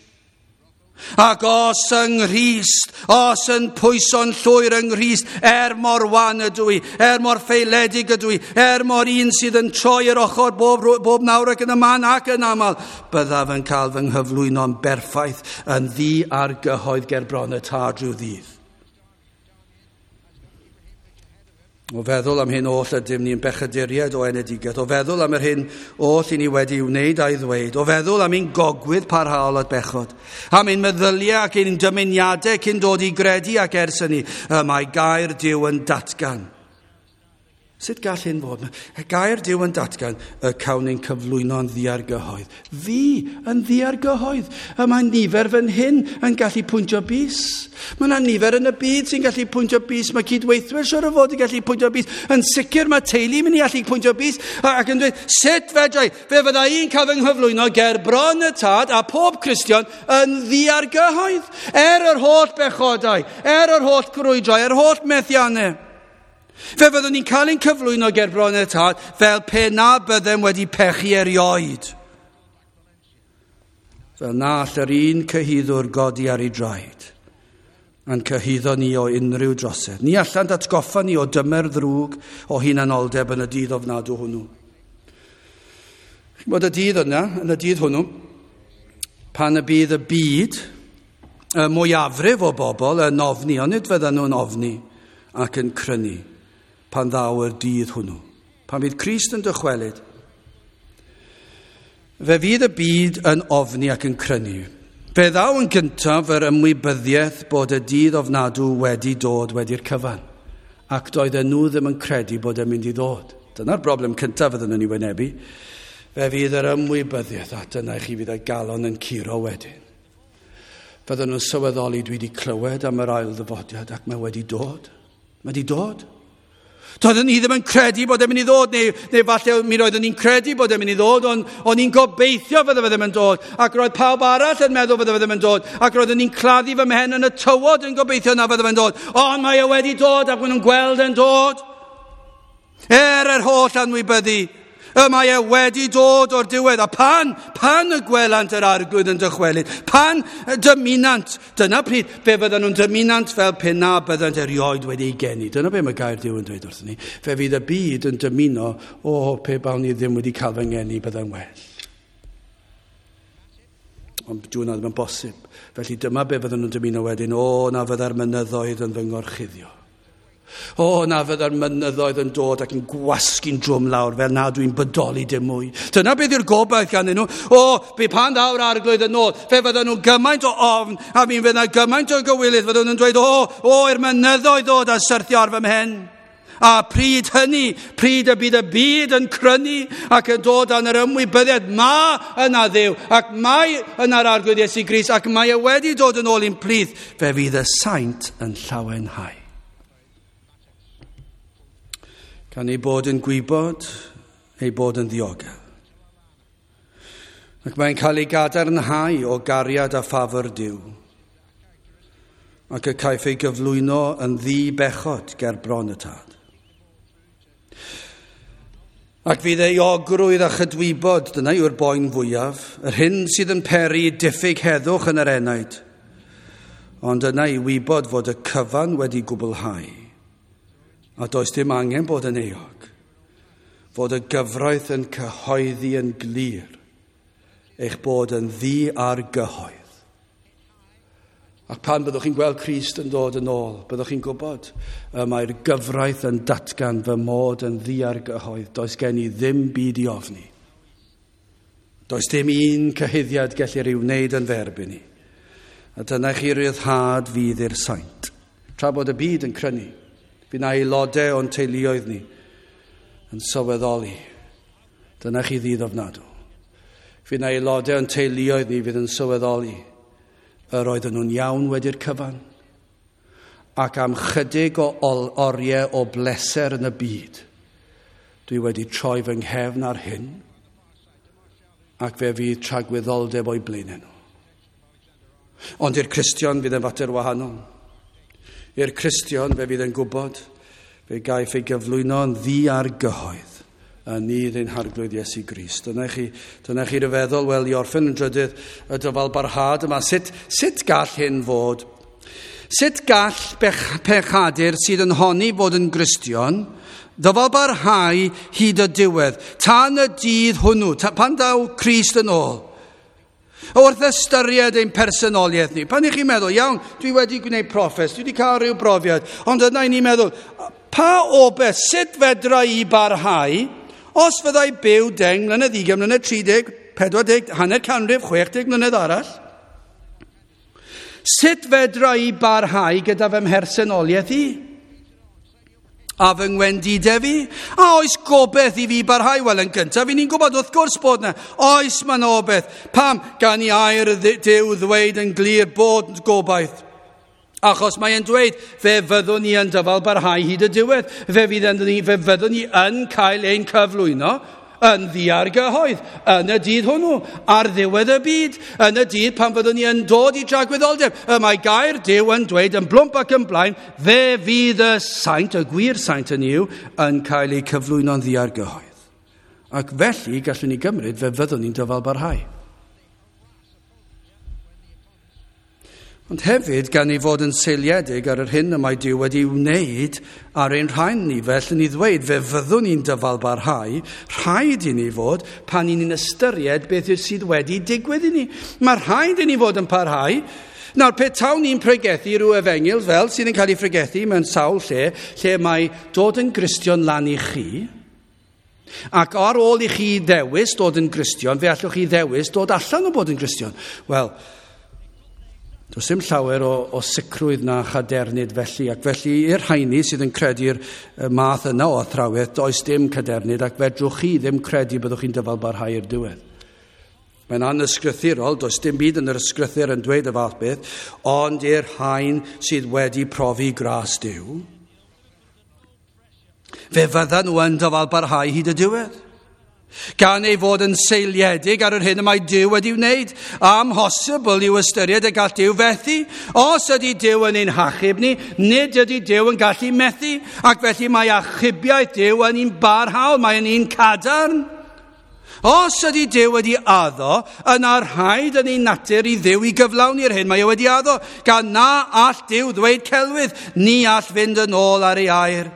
Ac os yng Nghrist, os yn pwyso'n llwyr yng Nghrist, er mor wan ydw i, er mor ffaeledig ydw i, er mor un sydd yn troi yr ochr bob, bob nawr ac yn y man ac yn aml, byddaf yn cael fy nghyflwyno'n berffaith yn ddi ar gyhoedd ger bron y Tad rhyw ddydd. O feddwl am hyn oll ydym ni'n bechaduriaid o enedigaeth, o feddwl am yr hyn oll i ni wedi wneud a'i ddweud, o feddwl am ein gogwydd parhaol at bechod, am ein meddyliau ac ein dymuniadau cyn dod i gredu ac ers hynny, y mae gair Duw yn datgan. Sut gall hyn fod? Y gair Duw yn datgan y cawn ein cyflwyno yn ddiargyhoedd. Fi yn ddiargyhoedd. Y mae nifer fan hyn yn gallu pwyntio bys. Mae yna nifer yn y byd sy'n gallu pwyntio bys. Mae cydweithwyr siwr o fod yn gallu pwyntio bys. Yn sicr mae teulu mynd i allu pwyntio bys. Ac yn dweud, sut fedrai? Fe fydda i'n cael fy nghyflwyno ger bron y Tad a pob Cristion yn ddiargyhoedd. Er yr holl bechodau, er yr holl grwydrau, er holl methiannau. Fe fyddwn ni'n cael ein cyflwyno ger bron y Tad fel pe na byddem wedi pechu erioed. Fel na all yr un cyhuddwr godi ar ei draed a'n cyhuddo ni o unrhyw drosedd. Ni allan datgoffa ni o dymer ddrwg o hunanoldeb yn y dydd ofnadw hwnnw. Chi'n bod y dydd yna, yn y dydd hwnnw, pan y bydd y byd, y mwyafrif o bobl yn ofni, ond nid fyddan nhw'n ofni ac yn crynu pan ddaw yr dydd hwnnw. Pan fydd Crist yn dychwelyd, fe fydd y byd yn ofni ac yn crynu. Fe ddaw yn gyntaf yr ymwybyddiaeth bod y dydd ofnadw wedi dod wedi'r cyfan, ac doedden nhw ddim yn credu bod e'n mynd i ddod. Dyna'r broblem cyntaf fydden nhw'n ei wynebu. Fe fydd yr ymwybyddiaeth, a dyna i chi fydd y galon yn curo wedyn. Fydden nhw'n sylweddoli, dwi wedi clywed am yr ail ddyfodiad ac mae wedi dod. Mae wedi dod. Doeddwn ni ddim yn credu bod e'n mynd i ddod, neu, neu falle mi roeddwn ni'n credu bod e'n mynd i ddod, ond o'n i'n gobeithio fydde fe ddim yn dod, ac roedd pawb arall yn meddwl fydde fe ddim yn dod, ac roeddwn ni'n claddu fy mhen yn y tywod yn gobeithio na fydde fe'n dod, ond mae e wedi dod ac maen nhw'n gweld e'n dod. Er yr holl anwybyddu, y mae e wedi dod o'r diwedd, a pan, pan y gwelant yr Arglwydd yn dychwelyd, pan dymunant, dyna pryd, fe fyddan nhw'n dymunant fel pe na byddant erioed wedi ei geni. Dyna be mae gair Duw yn dweud wrthyn ni. Fe fydd y byd yn dymuno, o, pe bawn ni ddim wedi cael fy ngeni, bydda'n well. Ond dyw hwnna ddim yn bosib. Felly dyma be fyddan nhw'n dymuno wedyn, o, na fydda'r mynyddoedd yn fy ngorchuddio. O, na fydda'r mynyddoedd yn dod ac yn gwasgu'n drwm lawr fel na dwi'n bodoli dim mwy. Dyna beth yw'r gobaith ganddyn nhw. O, be pan ddaw'r Arglwydd yn ôl, fe fyddan nhw gymaint o ofn a mi fydd yna gymaint o gywilydd. Fyddan nhw'n dweud, o, o, i'r mynyddoedd ddod a syrthio ar fy mhen. A pryd hynny, pryd y bydd y byd yn crynu ac yn dod dan yr ymwybyddiaeth, ma yna Dduw, ac mae yna'r Arglwydd Iesu Grist, ac mae e wedi dod yn ôl i'n plith, fe fydd y saint yn llawenhau. Gan ei bod yn gwybod, ei bod yn ddiogel. Ac mae'n cael ei gadarnhau o gariad a ffafr Duw. Ac y caiff ei gyflwyno yn ddi-bechod ger bron y Tad. Ac fydd ei ogrwydd a chydwybod, dyna yw'r boen fwyaf, yr hyn sydd yn peri diffyg heddwch yn yr enaid. Ond yna i wybod fod y cyfan wedi gwblhau. A does dim angen bod yn euog, fod y gyfraith yn cyhoeddi yn glir eich bod yn ddiargyhoedd. Ac pan byddwch chi'n gweld Crist yn dod yn ôl, byddwch chi'n gwybod y mae'r gyfraith yn datgan fy mod yn ddiargyhoedd. Does gen i ddim byd i ofni. Does dim un cyhuddiad gellir ei wneud yn f'erbyn i. A dyna chi ryddhad fydd i'r saint. Tra bod y byd yn crynu, fydd na aelodau o'n teuluoedd ni yn sylweddoli. Dyna chi ddydd ofnadw. Fydd na aelodau o'n teuluoedd ni fydd yn sylweddoli yr oedden nhw'n iawn wedi'r cyfan. Ac am chydig o oriau o bleser yn y byd, dwi wedi troi fy nghefn ar hyn, ac fe fydd tragwyddoldeb o'i blaenau nhw. Ond i'r Cristion fydd yn fater wahanol. I'r Cristion fe fydd yn gwybod, fe gaiff ei gyflwyno yn ddiargyhoedd yn nydd ein Harglwydd Iesu Grist. Dyna chi, dyna chi ryfeddol, wel, i orffen yn drydydd y dyfal barhad yma. Sut, sut gall hyn fod? Sut gall bech, pechadur sydd yn honni fod yn Gristion ddyfal barhau hyd y diwedd, tan y dydd hwnnw, ta, pan daw Crist yn ôl? Wrth ystyried ein personoliaeth ni, pan i chi'n meddwl, iawn, dwi wedi gwneud proffes, dwi wedi cael rhyw brofiad, ond yna i ni'n meddwl, pa obaith, sut fedra i barhau, os fyddai byw deng mlynedd, ugain mlynedd, tri deg, pedwar deg, hanner canrif, chwech deg mlynedd arall? Sut fedra i barhau gyda fy mhersonoliaeth i? A fy ngwendidau fi? A oes gobeith i fi barhau? Wel, yn gyntaf, i ni'n gwybod wrth gwrs bod yna. Oes mae yna obeith. Pam? Gan i air Duw ddweud yn glir bod gobaith. Achos mae'n dweud, fe fyddwn ni yn dyfal barhau hyd y diwedd. Fe, fydd ni, fe fyddwn ni yn cael ein cyflwyno yn ddiargyhoedd, yn y dydd hwnnw, ar ddiwedd y byd, yn y dydd pan fyddwn ni yn dod i dragwyddoldeb. Y mae gair Duw yn dweud yn blwmp ac yn blaen, fe fydd y saint, y gwir saint yn yw, yn cael eu cyflwyno'n ddiargyhoedd. Ac felly, gallwn ni gymryd, fe fyddwn ni'n dyfal barhau. Ond hefyd, gan ei fod yn seiliedig ar yr hyn y mae Duw wedi wneud ar ein rhan ni, felly ni ddweud, fe fyddwn ni'n dyfal barhau, rhaid i ni fod pan ni'n ystyried beth sydd wedi digwydd i ni. Mae rhaid i ni fod yn parhau. Nawr, pe tawn ni'n pregethu rhyw efengyl fel sydd yn cael ei pregethu mewn sawl lle, lle mae dod yn Gristion lan i chi, ac ar ôl i chi ddewis dod yn Gristion, fe allwch chi ddewis dod allan o bod yn Gristion. Wel, does dim llawer o, o sicrwydd na chadernid felly, ac felly i'r rheini sydd yn credu'r math yna o athrawiaeth, does dim cadernid, ac fedrwch chi ddim credu byddwch chi'n dyfal barhau i'r diwedd. Mae'n anysgrythurol, does dim byd yn yr ysgrythur yn dweud y fath beth, ond i'r rhain sydd wedi profi gras Duw, fe fyddan nhw yn dyfal barhau hyd y diwedd. Gan ei fod yn seiliedig ar yr hyn y mae Duw wedi wneud, amhosibl i'w ystyried y gall Duw fethu. Os ydy Duw yn ein hachub ni, nid ydy Duw yn gallu methu, ac felly mae achubiaeth Duw yn un barhaol, mae yn un cadarn. Os ydy Duw wedi addo, yna rhaid yn ei natur i Dduw i gyflawni'r hyn mae e wedi addo, gan na all Duw ddweud celwydd, ni all fynd yn ôl ar ei air.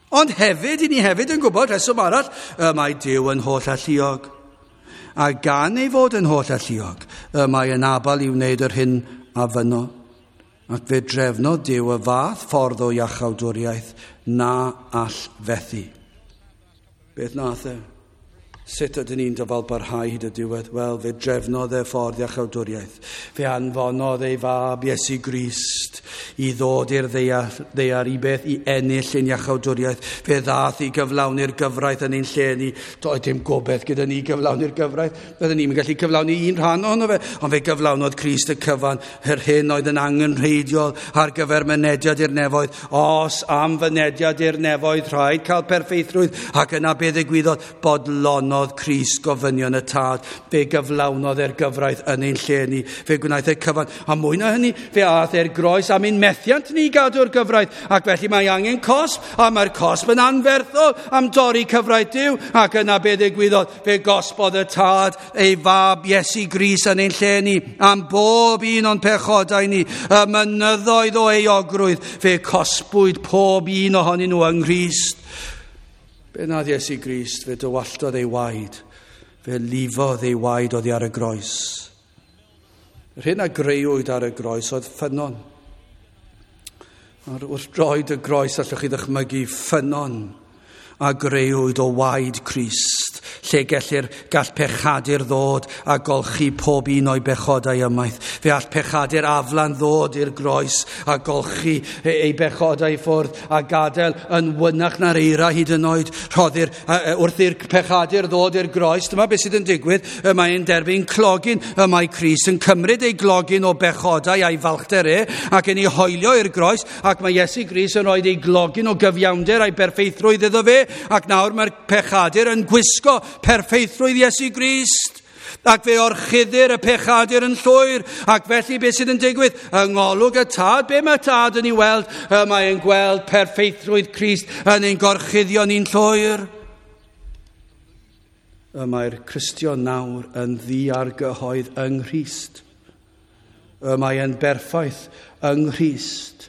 Ond hefyd, i ni hefyd yn gwybod, rheswm arall, y mae Duw yn holl alluog. A gan ei fod yn holl alluog, y mae yn abal i wneud yr hyn a fynno. Ac fe drefnodd Duw y fath ffordd o iachawdwriaeth na all fethu. Beth nath e? Sut ydyn ni'n dyfal barhau hyd y diwedd? Wel, fe drefnodd e ffordd iachawdwriaeth. Fe anfonodd ei fab Iesu Grist i ddod i'r ddaear, ddaear i beth i ennill ein iachawdwriaeth. Fe ddath i gyflawni'r gyfraith yn ein lle ni. Doedd dim gobeith gyda ni gyflawni'r gyfraith. Byddwn ni'n gallu cyflawni un rhan ohono fe, ond fe gyflawnodd Crist y cyfan, yr hyn oedd yn angenrheidiol ar gyfer mynediad i'r nefoedd. Os am fynediad i'r nefoedd, rhaid cael perffeithrwydd, ac yna be ddigwyddodd? Bodlonodd Crist gofynion y tad, fe gyflawnodd e'r gyfraith yn ein lle ni, fe gwnaeth e cyfan, a mwy na hynny, fe aeth e'r groes am ein methiant ni gadw'r gyfraith, ac felly mae angen cosb, a mae'r cosb yn anferthol am dorri cyfraith Duw, ac yna be ddigwyddodd, fe gosbodd y tad ei fab Iesu Grist yn ein lle ni, am bob un o'n pechodau ni, y mynyddoedd o euogrwydd, fe cosbwyd pob un ohonyn nhw yng Nghrist. Be nath Iesu Grist, fe dywalltodd ei waed, fe lifodd ei waed oddi ar y groes. Yr hyn a greuwyd ar y groes oedd ffynnon. Ar wrth droed y groes allwch chi ddychmygu ffynnon a greuwyd o waed Crist, lle gellir gall pechadur ddod a golchi pob un o'i bechodau ymaith. Fe all pechadur aflan ddod i'r groes a golchi ei bechodau i ffwrdd a gadael yn wynach na'r eira hyd yn oed. Rhoddir, wrth i'r pechadur ddod i'r groes, dyma beth sydd yn digwydd, y mae'n derbyn clogyn, y mae Crist yn cymryd ei glogyn o bechodau a'i falchder e ac yn ei hoelio i'r groes, ac mae Iesu Grist yn rhoi ei glogyn o gyfiawnder a'i berffeithrwydd iddo fe, ac nawr mae'r pechadur yn gwisgo perffeithrwydd Iesu Grist, ac fe orchuddir y pechadur yn llwyr, ac felly beth sydd yn digwydd? Yng ngolwg y tad, be mae tad yn ei weld? Y mae'n gweld perffeithrwydd Crist yn ein gorchuddio ni'n llwyr. Y mae'r Cristion nawr yn ddiargyhoedd yng Nghrist. Y mae'n berffaith yng Nghrist.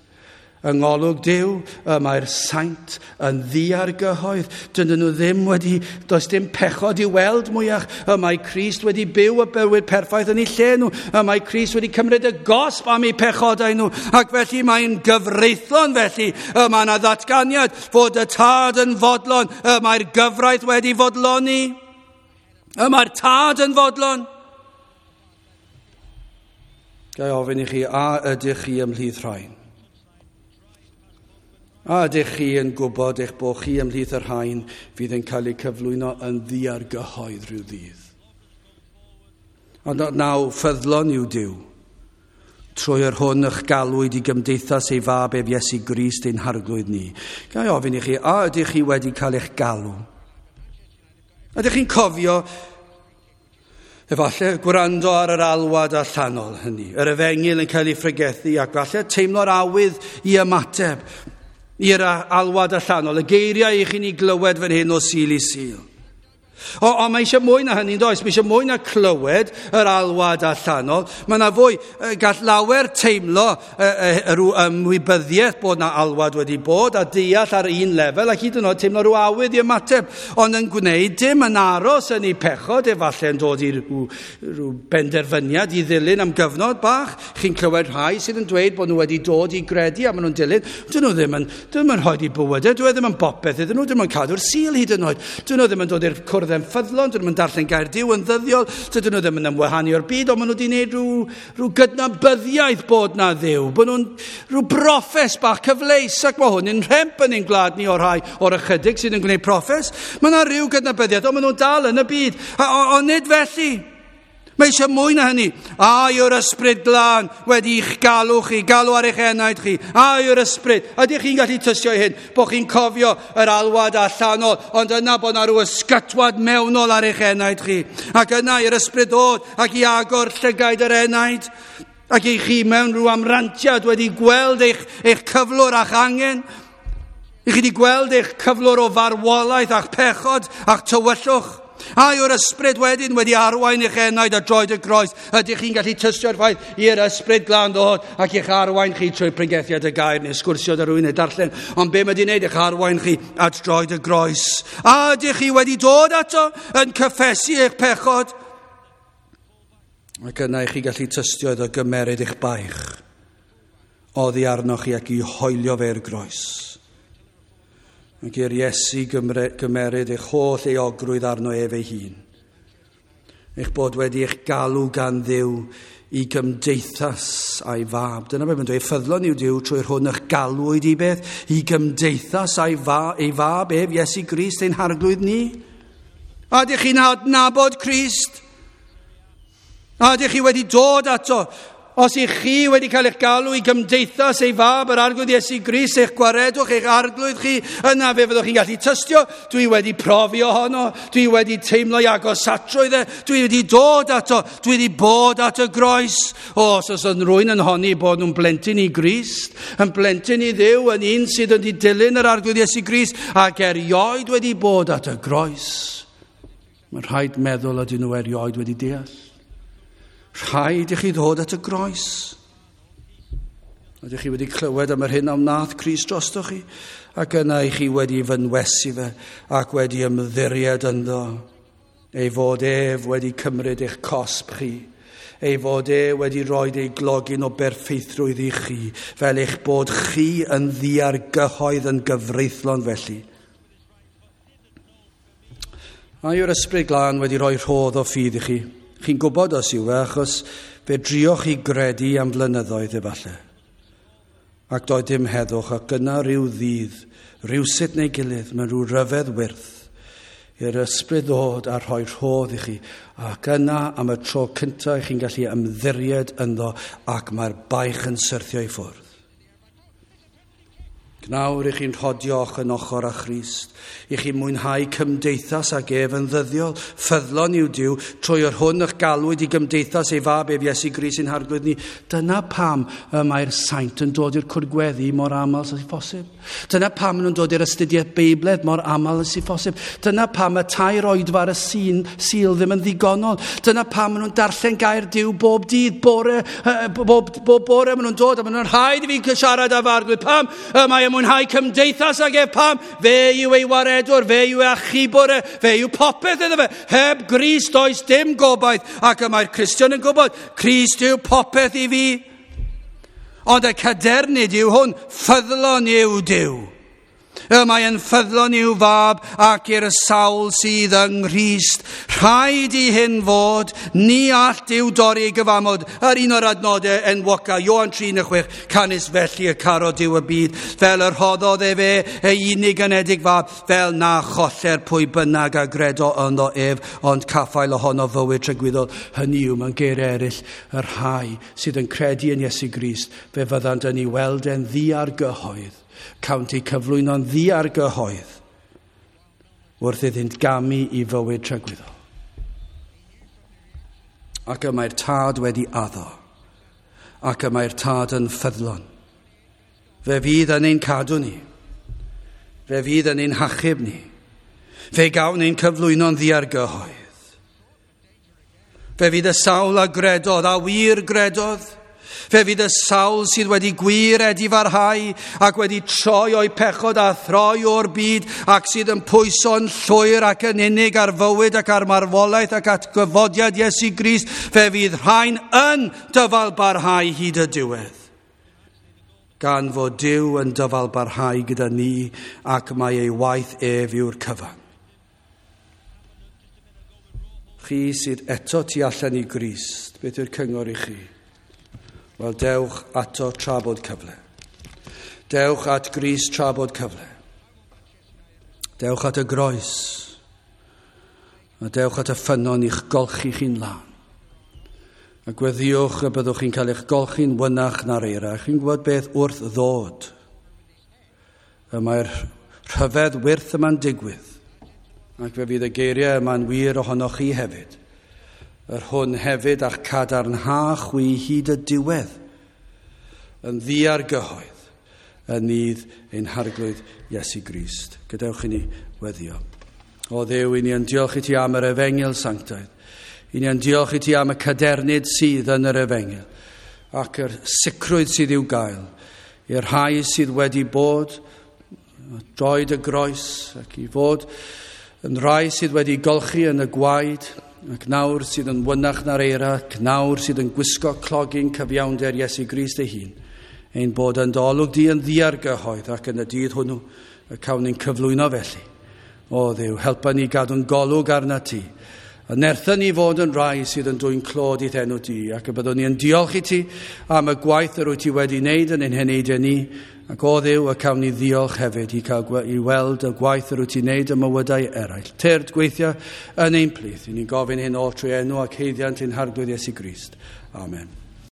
Yng ngolwg Duw, y mae'r saint yn ddiargyhoedd. Dydyn nhw ddim wedi, does dim pechod i weld mwyach. Y mae Crist wedi byw y bywyd perffaith yn eu lle nhw. Y mae Crist wedi cymryd y gosb am eu pechodau nhw. Ac felly mae'n gyfreithlon felly. Y mae yna ddatganiad fod y tad yn fodlon. Y mae'r gyfraith wedi fodloni. Y mae'r tad yn fodlon. Ga i ofyn i chi, a ydych chi ymhlith rhain? A ydych chi yn gwybod eich bod chi ymhlith y rhain fydd yn cael eu cyflwyno yn ddiargyhoedd rhyw ddydd? Ond naw, ffyddlon yw Duw, trwy yr hwn eich galwyd i gymdeithas ei fab ef Iesu Grist ein harglwydd ni. Ga i ofyn i chi, a ydych chi wedi cael eich galw? Ydych chi'n cofio efallai gwrando ar yr alwad allanol hynny, yr efengyl yn cael ei phregethu ac falle teimlo'r awydd i ymateb i'r alwad allanol, y geiriau i chi'n ei glywed fan hyn o Sul i Sul. O, ond mae eisiau mwy na hynny, does? Mae eisiau mwy na clywed yr alwad allanol. Mae yna fwy, gall lawer teimlo rhyw ymwybyddiaeth bod na alwad wedi bod a deall ar un lefel ac hyd yn oed teimlo rhyw awydd i ymateb, ond yn gwneud dim, yn aros yn ei pechod, efallai yn dod i rhyw, rhyw benderfyniad i ddilyn am gyfnod bach. Chi'n clywed rhai sydd yn dweud bod nhw wedi dod i gredu a maen nhw'n dilyn. Dyn nhw ddim yn, dyn nhw ddim yn rhoi i bywydau, dyn nhw ddim yn bopeth iddyn nhw, dyn nhw'n cadw'r Sul hyd yn oed. Dyn nhw ddim yn dod i'r cwrdd yn ffyddlon, dyn nhw'n darllen gair Duw yn ddyddiol, dydyn nhw ddim yn ymwahanu o'r byd, ond maen nhw wedi gwneud rhyw, rhyw gydnabyddiaeth bod na Dduw, bod nhw'n rhyw broffes bach cyfleus, ac mae hwn yn rhemp yn ein gwlad ni o'r rhai o'r ychydig sydd yn gwneud proffes. Mae yna rhyw gydnabyddiaeth, ond maen nhw'n dal yn y byd, ond nid felly. Mae eisiau mwy na hynny. A yw'r ysbryd glân wedi i'ch galw chi, galw ar eich enaid chi. A yw'r ysbryd. Ydych chi'n gallu tystio i hyn, bod chi'n cofio yr alwad allanol, ond yna bod na rhyw ysgytwad mewnol ar eich enaid chi. Ac yna i'r ysbryd ddod ac i agor llygaid yr enaid. Ac i chi mewn rhyw amrantiad wedi gweld eich, eich cyflwr a'ch angen. I chi wedi gweld eich cyflwr o farwolaeth a'ch pechod a'ch tywyllwch. A yw'r ysbryd wedyn wedi arwain eich enaid a droed y groes? Ydych chi'n gallu tystio'r ffaith i'r ysbryd glân ddod ac eich arwain chi trwy pregethiad y gair neu sgwrsio â rhywun neu darllen? Ond be mae wedi wneud? Eich arwain chi at droed y groes. A ydych chi wedi dod ato yn cyffesu eich pechod? Ac yna i chi gallu tystio iddo gymeryd eich baich oddi arnoch chi ac i hoelio fe'r groes. Ac i'r Iesu gymeryd eich holl euogrwydd arno ef ei hun. Eich bod wedi eich galw gan Dduw i gymdeithas a'i fab. Dyna beth mae'n dweud, ffyddlon yw Duw trwy'r hwn eich galwyd i beth, i gymdeithas a'i fa, ei fab ef, Iesu Grist ein harglwydd ni. A ydych chi'n adnabod Crist? A ydych chi wedi dod ato? Os ych chi wedi cael eich galw i gymdeithas ei fab, yr arglwydd Iesu Grist, eich gwaredwch, eich arglwydd chi, yna fe fyddwch chi'n gallu tystio, dwi wedi profi ohono, dwi wedi teimlo i agosatrwydd e, dwi wedi dod ato, dwi wedi bod at y groes. O, os oes rhywun yn honni bod nhw'n blentyn i Grist, yn blentyn i Dduw, yn un sydd wedi dilyn yr arglwydd Iesu Grist, ac erioed wedi bod at y groes. Mae'n rhaid meddwl ydyn nhw erioed wedi deall. Rhaid i chi ddod at y groes. Ydych chi wedi clywed am yr hyn a wnaeth Crist drostoch chi, ac yna i chi wedi fynwesu fe ac wedi ymddiried ynddo. Ei fod ef wedi cymryd eich cosb chi. Ei fod e wedi rhoi ei glogyn o berffeithrwydd i chi, fel eich bod chi yn ddiargyhoedd yn gyfreithlon felly. A yw'r ysbryd glân wedi rhoi rhodd o ffydd i chi? Chi'n gwybod os yw e, achos fe drioch chi gredu am flynyddoedd efallai. Ac doedd dim heddwch, ac yna rhyw ddydd, rhywsut neu gilydd, mewn rhyw ryfedd wyrth, i'r ysbryd ddod a rhoi rhodd i chi. Ac yna am y tro cyntaf chi'n gallu ymddiried ynddo, ac mae'r baich yn syrthio i ffwrdd. Nawr i chi'n rhodio ochr yn ochr â Christ, i chi mwynhau cymdeithas ag ef yn ddyddiol, ffyddlon yw Duw, trwy yr hwn eich galwyd i gymdeithas ei fab ef Iesu Grist ein harglwydd ni. Dyna pam y mae'r saint yn dod i'r cwrdd gweddi mor aml sy'n phosib. Dyna pam maen nhw'n dod i'r astudiaeth Beibledd mor aml sy'n phosib. Dyna pam y tair oedfa ar y sîn, Sul ddim yn ddigonol. Dyna pam maen nhw'n darllen gair Duw bob dydd, bore, bob, bob bore maen nhw'n dod, a maen nhw'n rhaid i fi siarad â fy arglwydd. Pam y mae mwynhau cymdeithas ag ef? Pam? Fe yw ei waredwr, fe yw ei achubwr, fe yw popeth iddo fe. Heb Grist does dim gobaith, ac y mae'r Cristion yn gwybod, Crist yw popeth i fi. Ond y cadernid yw hwn, ffyddlon yw Duw. Y mae yn ffyddlon i'w fab ac i'r sawl sydd yng Nghrist. Rhaid i hyn fod, ni all Duw dorri ei gyfamod. Yr un o'r adnodau enwoca, Ioan tri un chwech, canys felly y caro Duw y byd, fel yr rhoddodd efe ei unig anedig fab, fel na choller pwy bynnag a gredo ynddo ef, ond caffael ohono fywyd tragwyddol. Hynny yw, mewn geiriau eraill, y rhai sydd yn credu yn Iesu Grist, fe fyddant yn ei weld e'n ddiargyhoedd. Cawnt eu cyflwyno'n ddiargyhoedd wrth iddynt gamu i fywyd tragwyddol. Ac y mae'r Tad wedi addo, ac y mae'r Tad yn ffyddlon. Fe fydd yn ein cadw ni, fe fydd yn ein hachub ni, fe gawn ein cyflwyno'n ddiargyhoedd. Fe fydd y sawl a gredodd, a wir gredodd, fe fydd y sawl sydd wedi gwir edifarhau ac wedi troi o'i pechod a throi o'r byd ac sydd yn pwyso'n llwyr ac yn unig ar fywyd ac ar marwolaeth ac at gyfodiad Iesu Grist, fe fydd rhain yn dyfalbarhau hyd y diwedd. Gan fod Duw yn dyfalbarhau gyda ni ac mae ei waith ef yw'r cyfan. Chi sydd eto tu allan i Grist, beth yw'r cyngor i chi? Wel, dewch ato tra bod cyfle. Dewch at Grist tra bod cyfle. Dewch at y groes. A dewch at y ffynnon i'ch golchi chi'n lân. A gweddiwch y byddwch chi'n cael eich golchi'n wynach na'r eira. Chi'n gwybod beth wrth ddod. Y mae'r rhyfedd wyrth yma'n digwydd. Ac fe fydd y geiriau yma'n wir ohonoch chi hefyd. Yr hwn hefyd a'ch cadarnha chwi hyd y diwedd, yn ddiargyhoedd, yn nydd ein Harglwydd Iesu Grist. Gadewch i ni weddio. O Dduw, i ni yn diolch i ti am yr efengyl sanctaidd. I ni yn diolch i ti am y cadernid sydd yn yr efengyl, ac yr sicrwydd sydd i'w gael, i'r rhai sydd wedi bod droed y groes, ac i fod yn rhai sydd wedi golchi yn y gwaed, ac nawr sydd yn wynach na'r eira, ac nawr sydd yn gwisgo clogyn cyfiawnder Iesu Grist ei hun, ein bod yn dolwg di yn ddiargyhoedd ac yn y dydd hwnnw y cawn ni'n cyflwyno felly. O Dduw, helpa ni gadw'n golwg arna ti, a nertha ni fod yn rai sydd yn dwyn clod i'th enw di, ac y byddwn ni yn diolch i ti am y gwaith yr wyt ti wedi wneud yn ein heneidiau ni, ac o Dduw y cawn ni ddiolch hefyd i, cael, i weld y gwaith yr wyt ti'n wneud ym mywydau eraill. Tyrd gweithio yn ein plith. I ni'n gofyn hyn oll trwy enw ac haeddiant ein Harglwydd Iesu Grist. Amen.